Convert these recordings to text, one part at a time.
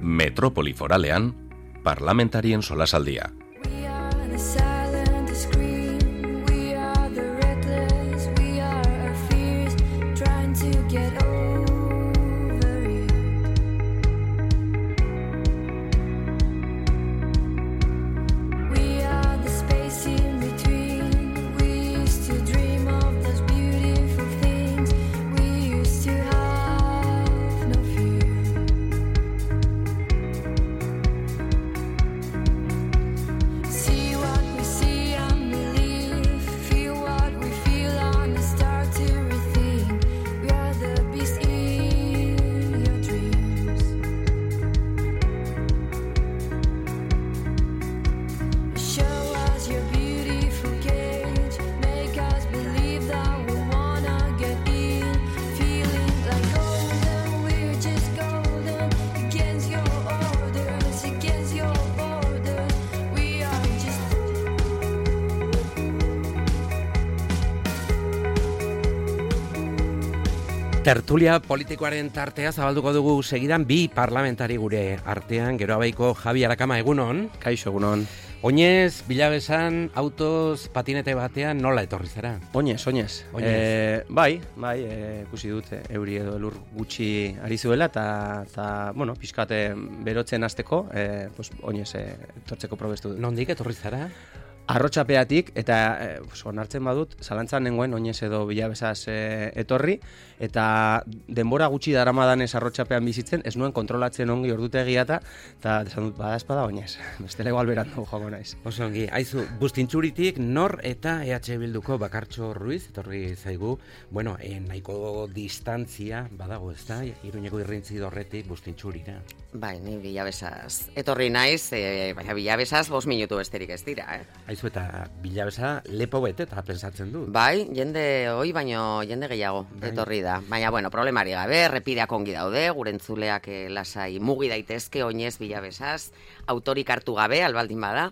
Metropoli Foralean, parlamentarien solasaldia. Tertulia politikoaren tartea zabalduko dugu segidan bi parlamentari gure artean, gero abaiko Javi Arakama, egunon. Kaixo, egunon. Oinez, Bilabesan, autoz, patinete batean nola etorri zara? Oinez. Bai, ikusi dut, euri edo elur gutxi ari zuela, eta bueno, pixkate berotzen hasteko, oinez etortzeko probestu dut. Nondik etorri zara? Arrotxapeatik, eta onartzen badut, zalantzan nengoen oinez edo Bilabesaz etorri, eta denbora gutxi daramadanez arrotxapean bizitzen, ez nuen kontrolatzen ongi ordutegia eta desan dut, bada espada oinez, bestela igual berandu joango naiz. Oso ongi, aizu, Bustintxuritik Nor eta EH Bilduko Bakartxo Ruiz, etorri zaigu, bueno, nahiko distantzia badago, ez da, Iruñeko irrintzi dorretik Bustintxurira. Bai, ni Bilabesaz etorri naiz, baina Bilabesaz 5 minutu besterik ez dira, Aizu eta Bilabesa lepo bete eta pensatzen du. Bai, jende hoi baino jende gehiago etorri da. Baina, bueno, problemari gabe, errepideak ongi daude, gure entzuleak lasai mugi daitezke oinez Bilabesaz, autorik hartu gabe, albaldin bada.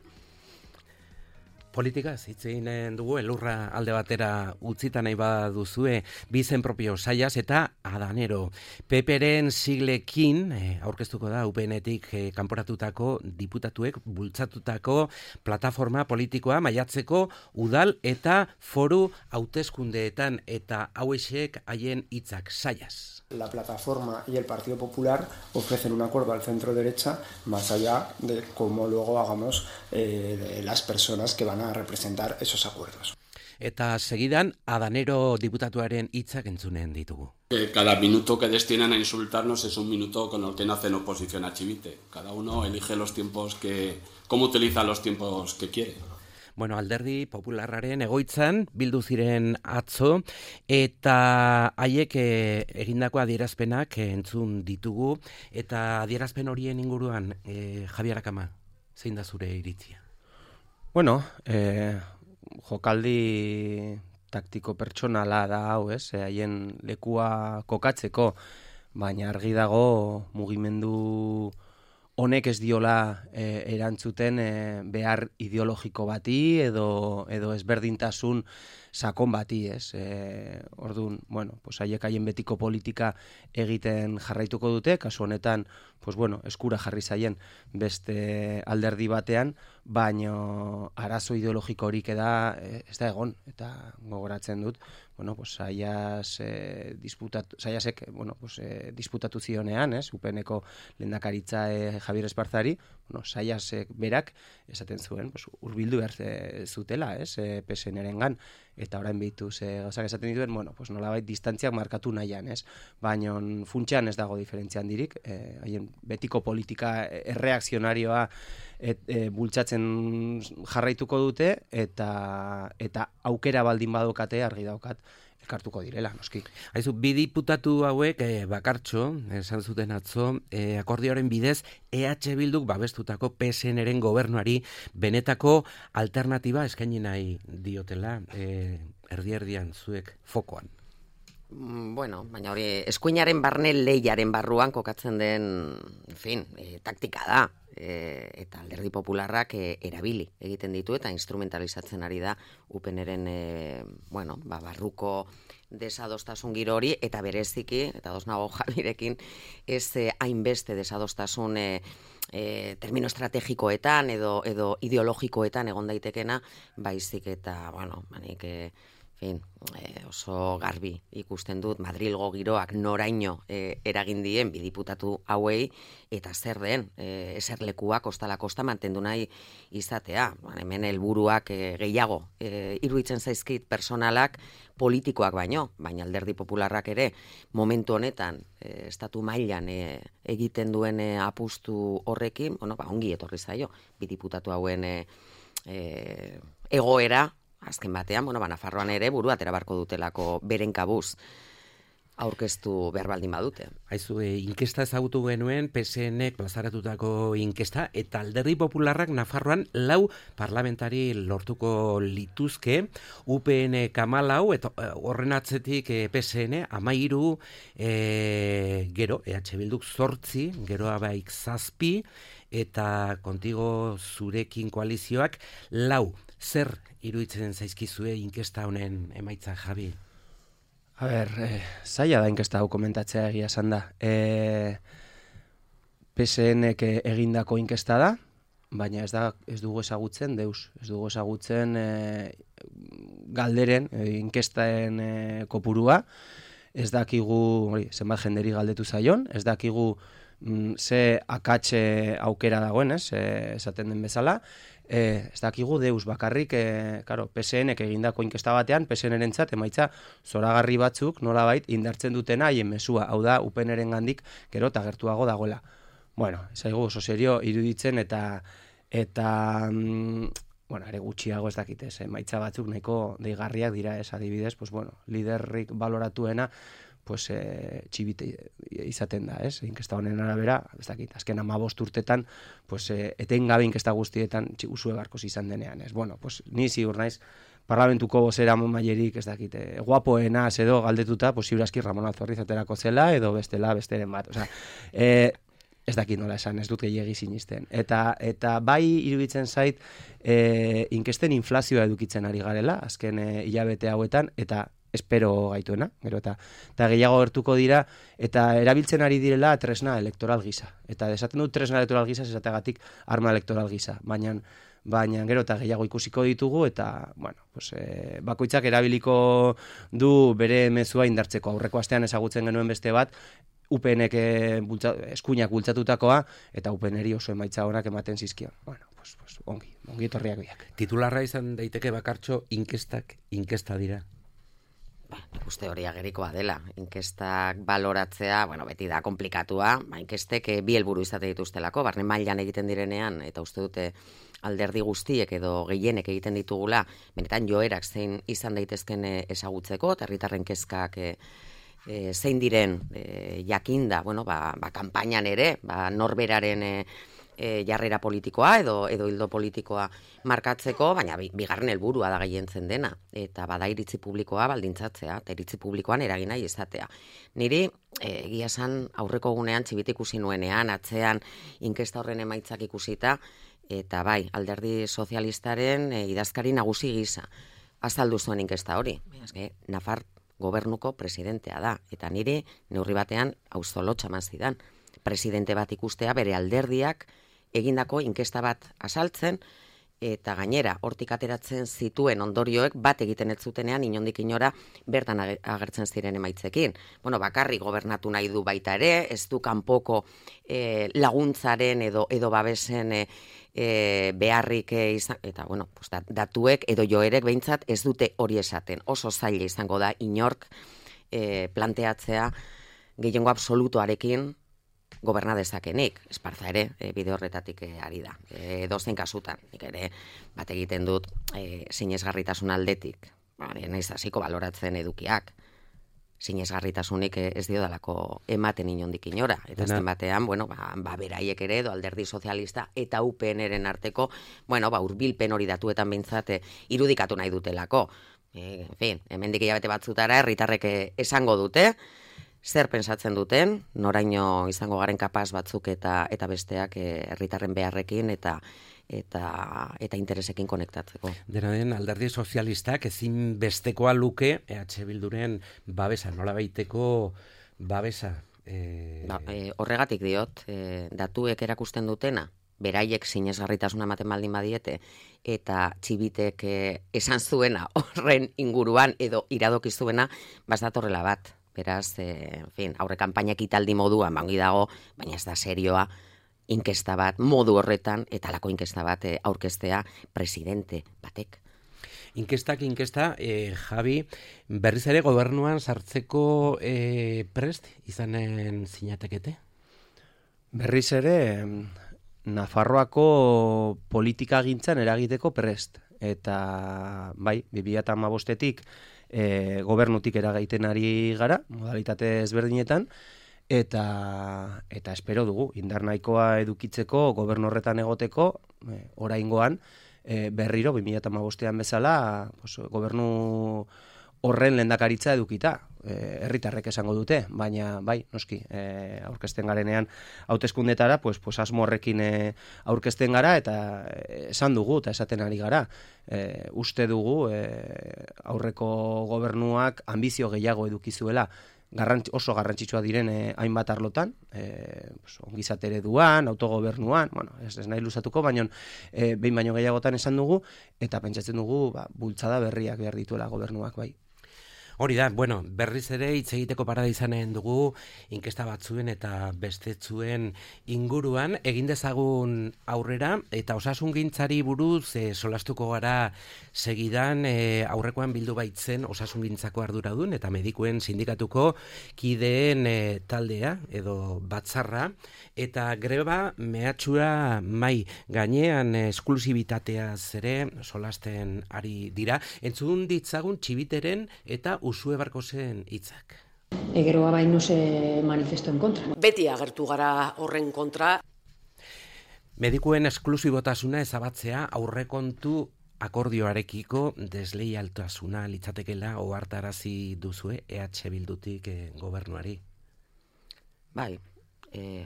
Politika, zitzen dugu, elurra alde batera utzita nahi baduzue, bizen propio saiaz eta adanero. Peperen siglekin, aurkeztuko da UPN-etik kanporatutako diputatuek bultzatutako plataforma politikoa maiatzeko udal eta foru hauteskundeetan eta hauexek haien hitzak saiaz. La plataforma y el Partido Popular ofrecen un acuerdo al centro-derecha más allá de cómo luego hagamos de las personas que van a representar esos acuerdos. Eta segidan, adanero diputatuaren hitzak entzunen ditugu. Cada minuto que destinan a insultarnos es un minuto con el que no hacen oposición a Chivite. Cada uno elige los tiempos cómo utiliza los tiempos que quiere. Bueno, Alderdi Popularraren egoitzan bildu ziren atzo eta haiek egindako adierazpenak entzun ditugu eta adierazpen horien inguruan Javi Arakama, zein da zure iritzia? Bueno, jokaldi taktiko pertsonala da hau, haien lekua kokatzeko, baina argi dago mugimendu honek ez diola erantzuten behar ideologiko bati edo ezberdintasun sakon bati, Orduan, bueno, haiek haien betiko politika egiten jarraituko dute, kasu honetan, eskura jarri zaien beste alderdi batean, baino arazo ideologiko horik ez da egon, eta gogoratzen dut, Saiasek disputatu zionean, UPN-eko lehendakaritza Javier Esparzari, Saiasek berak esaten zuen, hurbildu behar zutela, PSN-erengan, eta orain behitu gauzak esaten dituen, nolabait distantziak markatu nahian, baina funtsean ez dago diferentzia handirik, haien betiko politika erreakzionarioa bultzatzen jarraituko dute, eta aukera baldin badokate argi daukat elkartuko direla, noski. Aizu, bi diputatu hauek Bakartxo, esan zuten atzo, akordioaren bidez EH Bilduk babestutako PSN-eren gobernuari benetako alternatiba eskaini nahi diotela, erdi-erdian zuek fokoan. Bueno, baina hori eskuinaren barne lehiaren barruan kokatzen den, taktika da. eta alderdi popularrak erabili egiten ditu eta instrumentalizatzen ari da UPNren barruko desadostasun giro hori, eta bereziki, eta ados nago Javirekin, ez hainbeste desadostasun termino estrategikoetan edo ideologikoetan egon daitekena, baizik eta, oso garbi ikusten dut Madrilgo giroak noraino eragin dien bi diputatu hauei, eta zer den eserlekua kostala kosta mantendu nahi izatea. Hemen helburuak gehiago iruditzen zaizkit personalak politikoak baina alderdi popularrak ere momentu honetan estatu mailan egiten duen apustu horrekin, ongi etorri zaio bi diputatu hauen egoera. Azken batean, Nafarroan ere buru atera barko dutelako beren kabuz aurkeztu behar baldin badute. Haizu, inkesta ezagutu genuen, PSNek plazaratutako inkesta, eta alderdi popularrak Nafarroan 4 parlamentari lortuko lituzke, UPN 14, eta horren atzetik PSN 13, gero, EH Bilduk 8, geroa baik 7, eta kontigo zurekin koalizioak 4. Zer iruditzen zaizkizue inkesta honen emaitza, Javi? A ber, zaila da inkesta hau komentatzea egia esan da. PSNek egindako inkesta da, baina ez dugu ezagutzen deus. Ez dugu ezagutzen galderen, inkestaen kopurua. Ez dakigu zenbat jenderi galdetu zaion, ez dakigu ze akatxe aukera dagoen, esaten den bezala. Ez dakigu deus bakarrik, PSNek egindako inkesta batean, PSN-rentzat emaitza zoragarri batzuk nolabait indartzen dutena haien mesua, hau da UPN-ren gandik gero eta gertuago dagoela. Ez zaigu oso serio iruditzen eta ere gutxiago ez dakitez, emaitza batzuk nahiko deigarriak dira, adibidez, liderrik baloratuena txibite izaten da, inkesta honen arabera, ez dakit, azken 15 urtetan, etengabe inkesta guztietan usue barkoz izan denean, ni ziur naiz, parlamentuko bozera mailerik, ez dakit, guapoena edo galdetuta, ziurazki Ramon Alzorriz aterako zela, edo besteren bat, ez dakit nola esan, ez dut gehiegi sinisten. Eta bai iruditzen zait, inkesten inflazioa edukitzen ari garela, azken hilabete hauetan, eta espero gaituena, gero eta gehiago gertuko dira, eta erabiltzen ari direla tresna elektoral gisa. Eta desaten dut tresna elektoral gisa, esategatik arma elektoral gisa. Baina gero eta gehiago ikusiko ditugu, eta, bakoitzak erabiliko du bere mezua indartzeko. Aurreko astean ezagutzen genuen beste bat, UPNek eskuinak bultzatutakoa, eta UPNeri oso emaitza honak ematen zizkion. Ongi etorriak biak. Titularra izan daiteke bakartxo inkesta dira. Uste hori agerikoa dela. Inkestak baloratzea, beti da komplikatua, inkestek bi helburu izate dituztelako, barne mailan egiten direnean, eta uste dute alderdi guztiek edo gehienek egiten ditugula, benetan joerak zein izan daitezken ezagutzeko, eta herritarren kezkak zein diren jakinda, kanpainan ere, norberaren jarrera politikoa edo hildo politikoa markatzeko, baina bigarren helburua da gehientzen dena, eta bada iritzi publikoa baldintzatzea, eta iritzi publikoan eragin nahi izatea. Niri, egia esan aurreko gunean txibit ikusi nuenean, atzean inkesta horren emaitzak ikusita, eta bai, alderdi sozialistaren idazkari nagusi gisa azaldu zuen inkesta hori. Nafar gobernuko presidentea da, eta niri neurri batean auzolotxa mazidan. Presidente bat ikustea bere alderdiak egindako inkesta bat azaltzen, eta gainera hortik ateratzen zituen ondorioek bat egiten ez zutenean inondik inora bertan agertzen ziren emaitzekin. Bakarrik gobernatu nahi du baita ere, ez du kanpoko laguntzaren edo babesen beharrik izan, eta datuek edo joerek behintzat ez dute hori esaten. Oso zaila izango da inork planteatzea gehiengo absolutoarekin goberna dezakenik, Esparza ere bide horretatik ari da. Dozen kasutan, nik ere bat egiten dut sinesgarritasun aldetik, naiz hasiko baloratzen edukiak, sinesgarritasunik ez diodalako ematen inondik inora, eta azken batean, beraiek ere edo alderdi sozialista eta UPN-ren arteko, hurbilpen hori datuetan behintzat irudikatu nahi dutelako. Hemendik hilabete batzutara herritarrek esango dute, zer pentsatzen duten, noraino izango garen kapaz batzuk eta besteak herritarren beharrekin eta interesekin konektatzeko. Dena den, Alderdi Sozialistak ezin bestekoa luke EH Bilduren babesa, nola baiteko babesa. Horregatik diot, datuek erakusten dutena, beraiek sinesgarritasuna ematen baldin badiete, eta Txibitek esan zuena horren inguruan edo iradoki zuena, datorrela bat. Beraz, aurre kanpainak italdi moduan, bangi dago, baina ez da serioa, inkesta bat, modu horretan, eta lako inkesta bat aurkeztea presidente batek. Inkesta, Javi, berriz ere gobernuan sartzeko prest izanen zinatekete? Berriz ere, Nafarroako politika gintzan eragiteko prest. Eta, bai, 2015-etik gobernutik eragaiten ari gara, modalitate ezberdinetan, eta espero dugu, indar nahikoa edukitzeko, gobernu horretan egoteko, oraingoan, berriro, 2015-ean bezala, gobernu horren lehendakaritza edukita, herritarrek esango dute, baina bai, noski, aurkezten garenean hauteskundetara, asmo horrekin aurkezten gara, eta esan dugu, eta esaten ari gara, uste dugu aurreko gobernuak ambizio gehiago edukizuela, oso garrantzitsua diren hainbat arlotan, ongizate ereduan, autogobernuan, ez nahi luzatuko, baina behin baino gehiagotan esan dugu, eta pentsatzen dugu bultzada berriak behar dituela gobernuak, bai. Hori da, berriz ere hitz egiteko parada izanen dugu inkesta batzuen eta bestetzuen inguruan, egin dezagun aurrera, eta osasungintzari buruz solastuko gara segidan aurrekoan bildu baitzen osasungintzako arduradun eta medikuen sindikatuko kideen taldea edo batzarra, eta greba mehatxura mai gainean esklusibitateaz ere solasten ari dira. Entzun ditzagun Txibiteren eta Usue Barkosen hitzak. Geroa bai no se manifestó en contra. Beti agertu gara horren kontra. Medikuen esklusibotasuna ezabatzea aurrekontu akordioarekiko desleialtasuna litzatekeela ohartarazi duzue EH Bildutik gobernuari. Bai,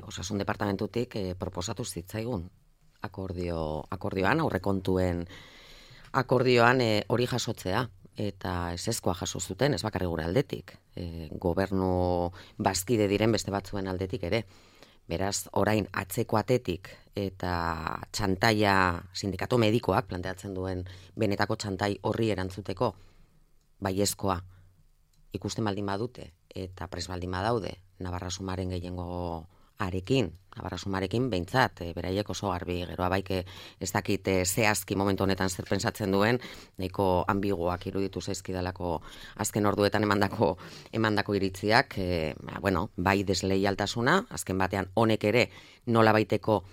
osasun departamentutik proposatu zitzaigun akordioan, aurrekontuen akordioan hori jasotzea. Eta ezezkoa jaso zuten, ez bakarri gure aldetik, gobernu bazkide diren beste batzuen aldetik ere. Beraz, orain atzeko atetik eta txantaia sindikatu medikoak planteatzen duen benetako txantai horri erantzuteko baiezkoa ikusten baldin badute eta pres baldin badaude Navarra-Sumaren gehiengo Navarra-Sumarekin behintzat, beraiek oso garbi, geroa baik ez dakit zehazki momentu honetan zer pentsatzen duen, nahiko ambiguak iruditu zaizkidalako azken orduetan emandako iritziak, bai desleialtasuna, azken batean honek ere nola baiteko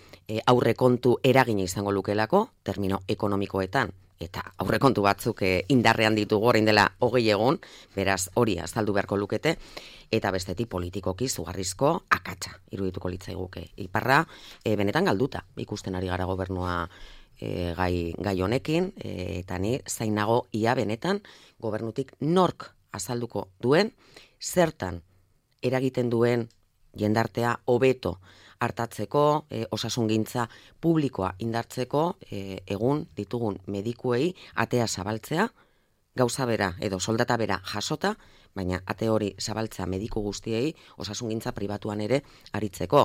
aurrekontu eragina izango lukelako, termino ekonomikoetan, eta aurrekontu batzuk indarrean ditugu orain dela 20 egun, beraz hori azaldu beharko lukete, eta bestetik politikoki zugarrizko akatsa irudituko litzaiguke. Iparra benetan galduta ikusten ari gara gobernua gai honekin, eta ni zainago ia benetan gobernutik nork azalduko duen, zertan eragiten duen jendartea hobeto hartatzeko, osasungintza publikoa indartzeko, egun ditugun medikuei atea zabaltzea, gauza bera edo soldata bera jasota, baina ate hori zabaltzea mediku guztiei osasungintza pribatuan ere aritzeko.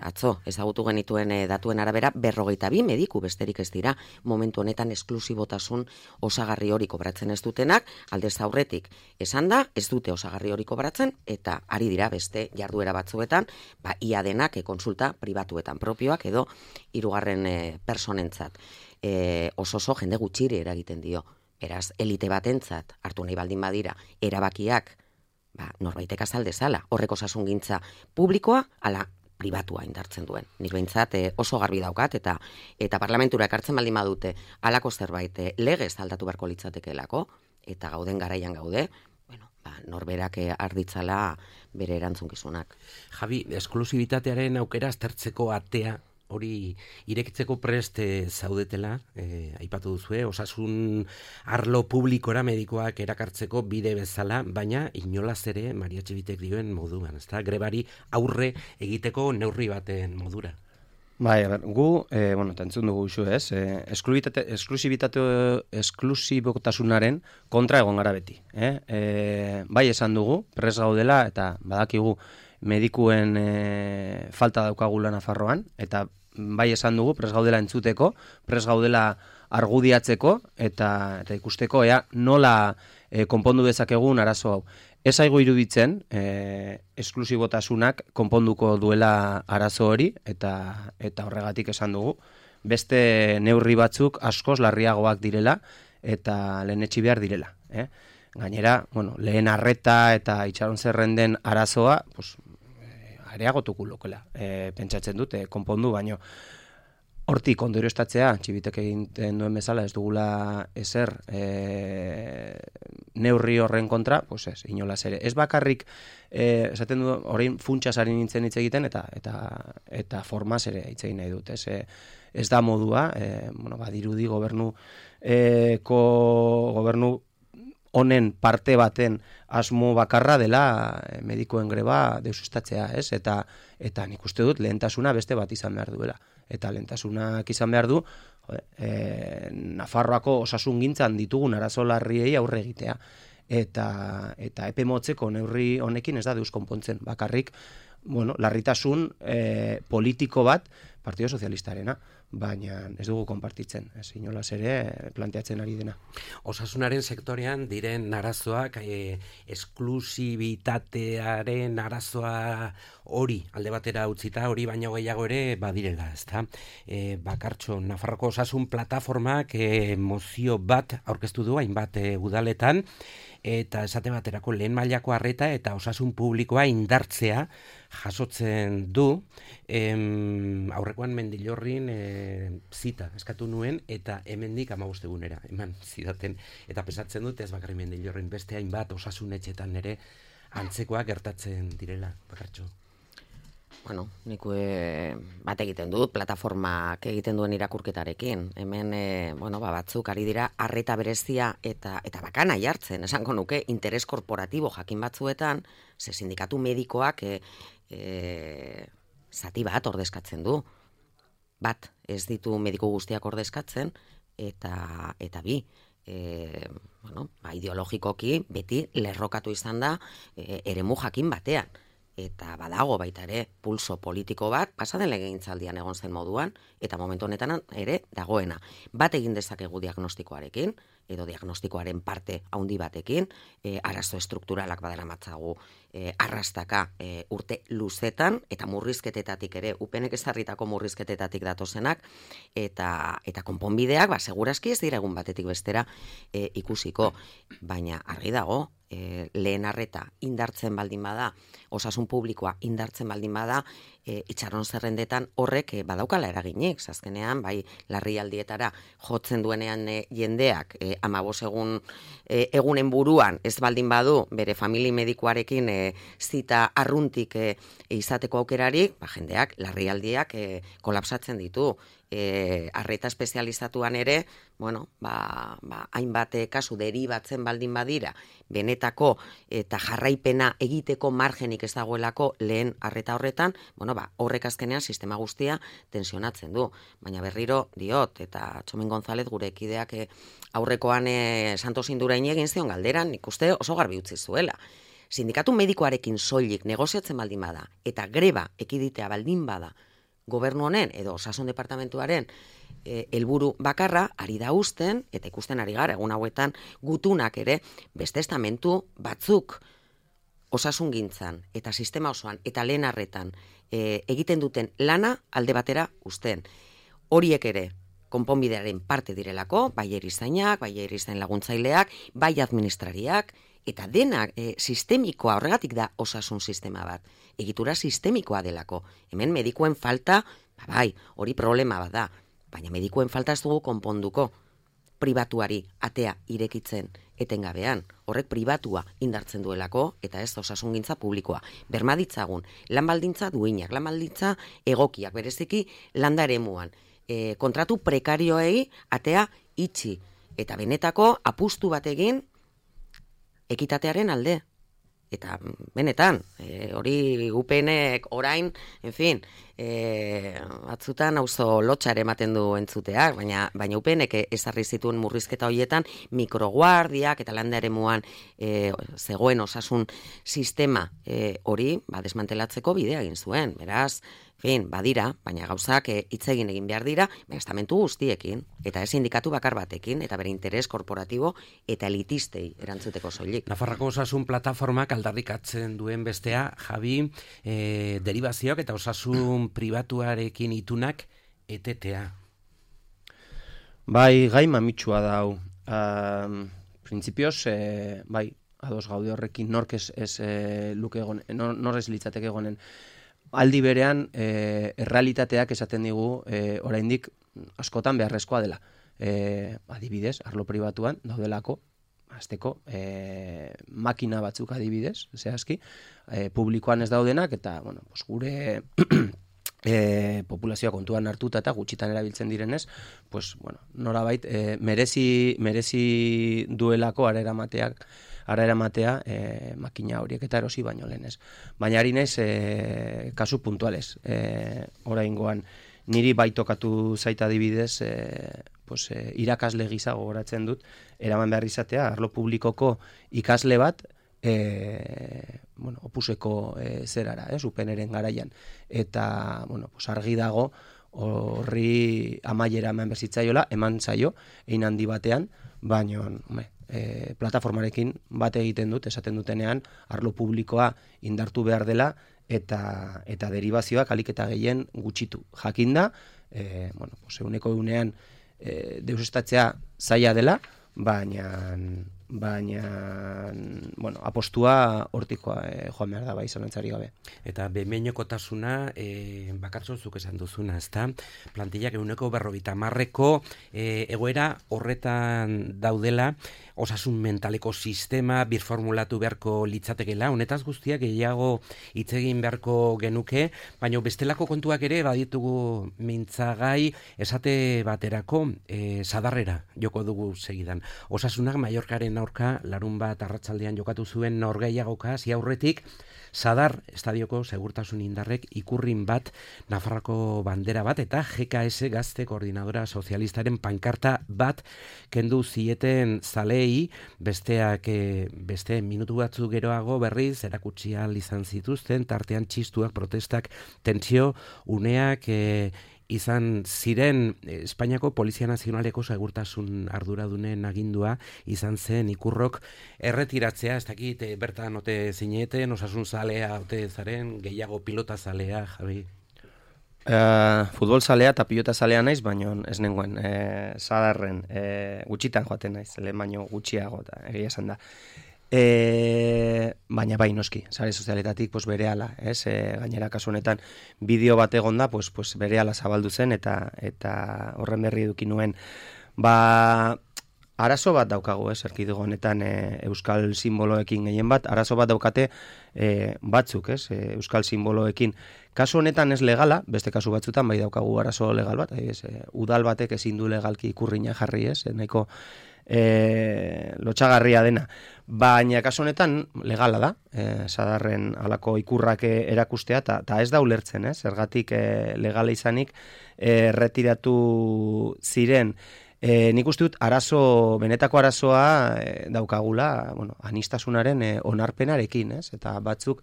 Atzo, ezagutu genituen datuen arabera, 42 mediku besterik ez dira momentu honetan esklusibotasun osagarri hori kobratzen ez dutenak, aldez aurretik esan da, ez dute osagarri hori kobratzen, eta ari dira beste jarduera batzuetan, ia denak konsulta pribatuetan propioak edo hirugarren personentzat. Oso jende gutxiri eragiten dio. Beraz, elite batentzat hartu nahi baldin badira erabakiak, norbaitek azal dezala, horrek osasungintza publikoa ala pribatua indartzen duen. Nik behintzat oso garbi daukat eta parlamentura ekartzen baldin badute halako zerbait legez aldatu beharko litzatekeelako, eta gauden garaian gaude, norberak arditzala bere erantzunkizunak. Javi, esklusibitatearen aukera aztertzeko atea hori irekitzeko prest zaudetela, aipatu duzue, osasun arlo publikora medikoak erakartzeko bide bezala, baina inolaz ere Maria Txibitek dioen moduan, ezta? Grebari aurre egiteko neurri baten modura. Bai, gu, entzun dugu isu ez, esklusibotasunaren kontra egon gara beti. Bai esan dugu, pres gaudela, eta badakigu medikuen falta daukagula Nafarroan, eta bai esan dugu, pres gaudela entzuteko, pres gaudela argudiatzeko, eta ikusteko nola konpondu dezakegun arazo hau. Ez zaigu iruditzen, esklusibotasunak konponduko duela arazo hori, eta horregatik esan dugu, beste neurri batzuk askoz larriagoak direla, eta lehenetsi behar direla. Gainera, lehen arreta eta itxaron zerrenden arazoa, areagotuko lokela, pentsatzen dute, konpondu, baino. Hortik ondorioztatzea, Txibitek egiten duen bezala, ez dugula ezer neurri horren kontra, ez, inolaz ere. Ez bakarrik, esaten du, orain funtsasari nintzen hitz egiten, eta formaz ere hitz egin nahi dut. Ez da modua, badirudi gobernu honen parte baten asmo bakarra dela medikoen greba deusestatzea, ez? Eta nik uste dut lehentasuna beste bat izan behar duela. Eta lehentasunak izan behar du, Nafarroako osasungintzan ditugun arazo larriei aurre egitea. Eta epe motzeko neurri honekin ez da deus konpontzen. Bakarrik, larritasun politiko bat Partido Sozialistarena, baina ez dugu konpartitzen, ez inolaz ere planteatzen ari dena. Osasunaren sektorean diren arazoak, esklusibitatearen arazoa hori alde batera utzita, hori baino gehiago ere badirela, ezta? Bakartxo, Nafarroko osasun plataformak mozio bat aurkeztu du hainbat udaletan, eta esate baterako lehen mailako arreta eta osasun publikoa indartzea jasotzen du. Aurrekoan Mendillorrin zita eskatu nuen, eta hemendik 15 egunera eman zidaten, eta pesatzen dut ez bakarrik Mendillorrin, beste hainbat osasunetxetan ere antzekoak gertatzen direla, Bakartxo. Nik bat egiten dut, plataformak egiten duen irakurketarekin. Hemen, batzuk ari dira arreta berezia eta bakana jartzen, esango nuke, interes korporatibo jakin batzuetan, ze sindikatu medikoak zati bat ordezkatzen du. Bat, ez ditu mediku guztiak ordezkatzen, eta bi, ideologikoki beti lerrokatu izan da eremu jakin batean. Eta badago baita ere pulso politiko bat, pasaden legegintzaldian egon zen moduan, eta momentu honetan ere dagoena. Bat egin dezakegu diagnostikoarekin, edo diagnostikoaren parte handi batekin, arazo estrukturalak badaramatzagu arrastaka urte luzetan, eta murrizketetatik ere, upenek ezarritako murrizketetatik datozenak, eta konponbideak, segurazki ez dira egun batetik bestera ikusiko, baina argi dago, lehen arreta indartzen baldin bada, osasun publikoa indartzen baldin bada, itxaron zerrendetan horrek badaukala eraginik, azkenean, bai, larrialdietara jotzen duenean jendeak 15 egunen buruan ez baldin badu bere famili medikuarekin zita arruntik izateko aukerarik, jendeak larrialdiak kolapsatzen ditu. Arreta espezializatuan ere, hainbat kasu deribatzen baldin badira, benetako eta jarraipena egiteko margenik ez dagoelako lehen arreta horretan, horrek azkenean sistema guztia tensionatzen du. Baina berriro diot, eta Txomin González gure ekideak aurrekoan Santos Indurain egin zion galderan, nik uste oso garbi utzi zuela. Sindikatu medikoarekin soilik negoziatzen baldin bada, eta greba ekiditea baldin bada, gobernu honen edo osasun departamentuaren helburu bakarra ari da uzten, eta ikusten ari gara egun hauetan gutunak ere beste estamentu batzuk osasungintzan eta sistema osoan eta lehen arretan egiten duten lana alde batera uzten. Horiek ere konponbidearen parte direlako, bai erizainak, bai erizain laguntzaileak, bai administrariak, eta denak sistemikoa, horregatik da osasun sistema bat. Egitura sistemikoa delako. Hemen medikuen falta, hori problema bat da, baina medikuen falta ez dugu konponduko. pribatuari atea irekitzen etengabean. Horrek pribatua indartzen duelako eta ez osasungintza publikoa. Berma ditzagun, lan baldintza duinak, lan baldintza egokiak, bereziki landa eremuan. Kontratu prekarioei atea itxi eta benetako apustu bat egin ekitatearen alde. Eta benetan, hori UPNek orain, en fin, batzutan auzo lotxare ematen du entzuteak, baina UPNek ezarri zituen murrizketa horietan mikroguardiak eta landa eremuan zegoen osasun sistema hori desmantelatzeko bidea egin zuen. Beraz, badira, baina gauzak hitz egin behar dira, estamentu guztiekin, eta ez sindikatu bakar batekin, eta bere interes korporatibo eta elitistei erantzuteko soilik. Nafarroko osasun plataformak aldarrikatzen duen bestea, Javi, derivazioak eta osasun pribatuarekin itunak etetea. Bai, gai mamitsua da hau. Printzipioz, bai, ados gaude horrekin, nork ez luke egon, nor ez litzateke egonen. Aldi berean, errealitateak esaten digu, oraindik askotan beharrezkoa dela. Adibidez, arlo pribatuan daudelako, hasteko, makina batzuk adibidez, zehazki, publikoan ez daudenak, eta, bueno, gure populazioa kontuan hartuta eta gutxitan erabiltzen direnez, norabait, merezi duelako ara eramatea makina horiek eta erosi baino lehenez. Baina ari naiz kasu puntuales. Oraingoan niri baitokatu zaita adibidez, irakasle gisa gogoratzen dut, eraman behar izatea, arlo publikoko ikasle bat, opuseko zerara, UPNren garaian. Eta, argi dago, horri amaiera eman bezitzaiola, eman zaio, ein handi batean, baina, plataformarekin bat egiten dut, esaten dutenean, arlo publikoa indartu behar dela, eta derivazioak alik eta gehien gutxitu. Jakinda, eguneko egunean deusestatzea zaila dela, baina apostua hortikoa joan behar da bai zalantzari gabe. Eta behin-behinekotasuna bakartxo zuk esan duzuna, ezta? Plantillak 50% egoera horretan daudela, osasun mentaleko sistema birformulatu beharko litzatekela, honetaz guztiak gehiago hitz egin beharko genuke, baina bestelako kontuak ere baditugu mintzagai esate baterako sadarrera joko dugu segidan. Osasunak Mallorcaren aurka larun bat arratsaldean jokatu zuen norgehiagoka hasi aurretik Sadar estadioko segurtasun indarrek ikurrin bat, Nafarroko bandera bat eta GKS Gazte Koordinadora Sozialistaren pankarta bat kendu zieten zalei, beste minutu batzuk geroago berriz erakutsi ahal izan zituzten, tartean txistuak, protestak, tentsio, uneak izan ziren. Espainiako Polizia Nazionaleko segurtasun arduradunen agindua izan zen ikurrok erretiratzea, ez dakit bertan ote zineten, osasun zalea ote zaren, gehiago pilota zalea, Javi? Futbol zalea eta pilota zalea naiz, baina ez nengoen Sadarren gutxitan joaten naiz, lehen baino gutxiago, egia esan da. Baina bai noski, sare sozialetatik berehala, gainera kasu honetan bideo bat egon da, berehala zabaldu zen eta horren berri eduki nuen. Arazo bat daukagu, erkidego honetan euskal simboloekin gehien bat, arazo bat daukate batzuk, euskal simboloekin. Kasu honetan ez legala, beste kasu batzutan bai daukagu arazo legal bat, udal batek ezin du legalki ikurrina jarri, nahiko lotxagarria dena. Baina kasu honetan legala da, Sadarren halako ikurrak erakustea, eta ez da ulertzen, zergatik legala izanik retiratu ziren. Nik uste dut benetako arazoa daukagula, anistasunaren onarpenarekin, eta batzuk,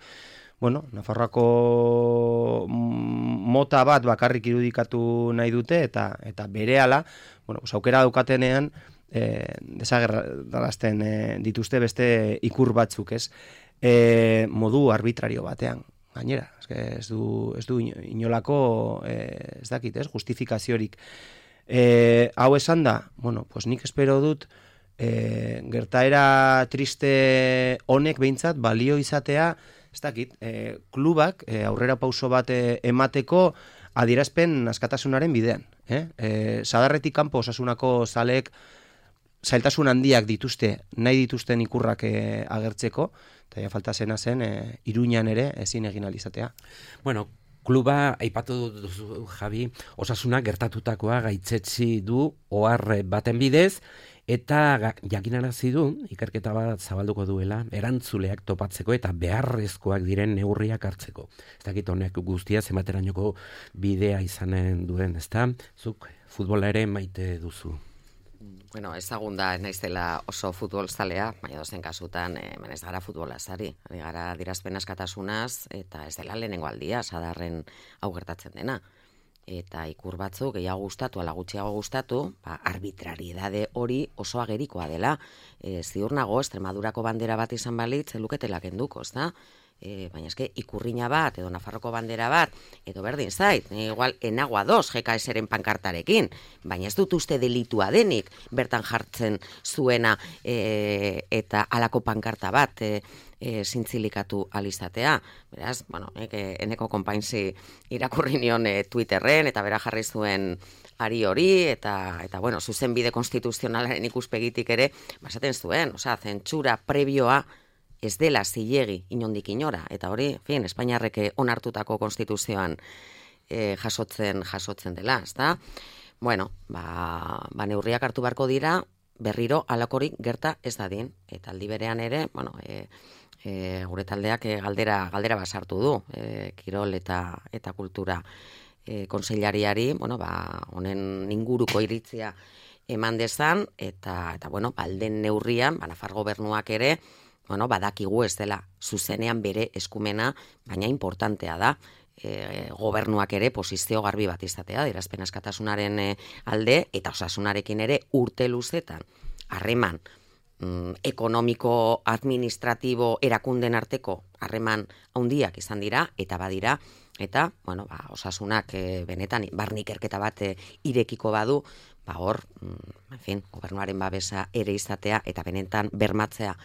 Nafarroako mota bat bakarrik irudikatu nahi dute, eta berehala, aukera daukatenean, desagerrarazten dituzte beste ikur batzuk, modu arbitrario batean. Gainera, ez du inolako, ez dakit, justifikaziorik. Hau esan da, nik espero dut gertaera triste honek behintzat balio izatea, ez dakit, klubak aurrera pauso bat emateko adierazpen askatasunaren bidean. Sadarretik kanpo osasunako zaleek zailtasun handiak dituzte, nahi dituzten ikurrak agertzeko, eta falta zena zen, Iruñan ere ezin egin alizatea. Bueno, kluba, aipatu duzu, Javi, Osasuna gertatutakoa gaitzetsi du ohar baten bidez, eta jakinarazi du, ikerketa bat zabalduko duela, erantzuleak topatzeko eta beharrezkoak diren neurriak hartzeko. Ez dakit honek guztia zenbaterainoko bidea izanen duen, ezta? Zuk futbola ere maite duzu. Bueno, ezagun da, ez naizela oso futbolzalea, baina dozen kasutan, ez gara futbolazari, ari gara adierazpen askatasunaz, eta ez dela lehenengo aldia, sadarren hau gertatzen dena. Eta ikur batzuk gehiago gustatu, ala gutxiago gustatu, arbitrariedade hori oso agerikoa dela. Ziur nago, Extremadurako bandera bat izan balitz, luketela kenduko, ezta? Baina eske ikurriña bat, edo Nafarroko bandera bat, edo berdin zait, igual enagoa dos GKS-ren pankartarekin, baina ez dut uste delitua denik bertan jartzen zuena eta alako pankarta bat zintzilikatu alizatea. Beraz, bueno, eneko konpainzi irakurri nion Twitterren, eta bera jarri zuen ari hori, eta bueno, zuzenbide konstituzionalaren ikuspegitik ere, basaten zuen, zentsura prebioa ez dela zilegi inondik inora, eta hori, Espainiarrek onartutako konstituzioan jasotzen dela, ezta? Bueno, neurriak hartu beharko dira, berriro alakorik gerta ez dadin, eta aldi berean ere, bueno, gure taldeak galdera basartu du, kirol eta kultura kontseilariari, bueno, honen inguruko iritzia eman dezan, eta bueno, alden neurrian, Nafar gobernuak ere, bueno, badakigu ez dela zuzenean bere eskumena, baina importantea da, gobernuak ere posizio garbi bat izatea, adierazpen askatasunaren alde, eta osasunarekin ere urte luzetan, harreman ekonomiko, administratibo, erakunden arteko harreman handiak izan dira, eta badira, eta, bueno, osasunak benetan, barnikerketa bat irekiko badu, hor, gobernuaren babesa ere izatea, eta benetan bermatzea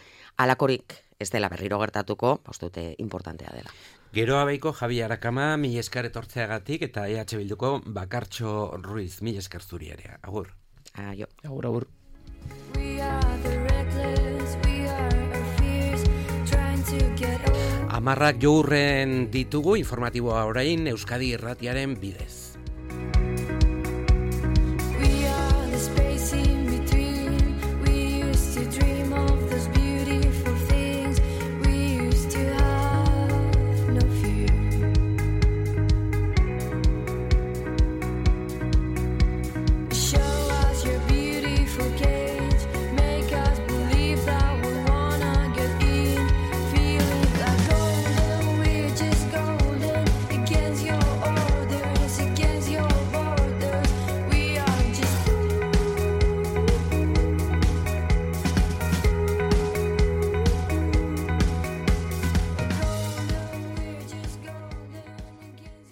alakorik ez dela berriro gertatuko, dute importantea dela. Gero abeiko Javi Arakama, mila esker etortzeagatik, eta EH Bilduko Bakartxo Ruiz, mila esker zuri ere. Agur. Aio. Agur. Amarrak jourren ditugu informatiboa orain Euskadi Irratiaren bidez.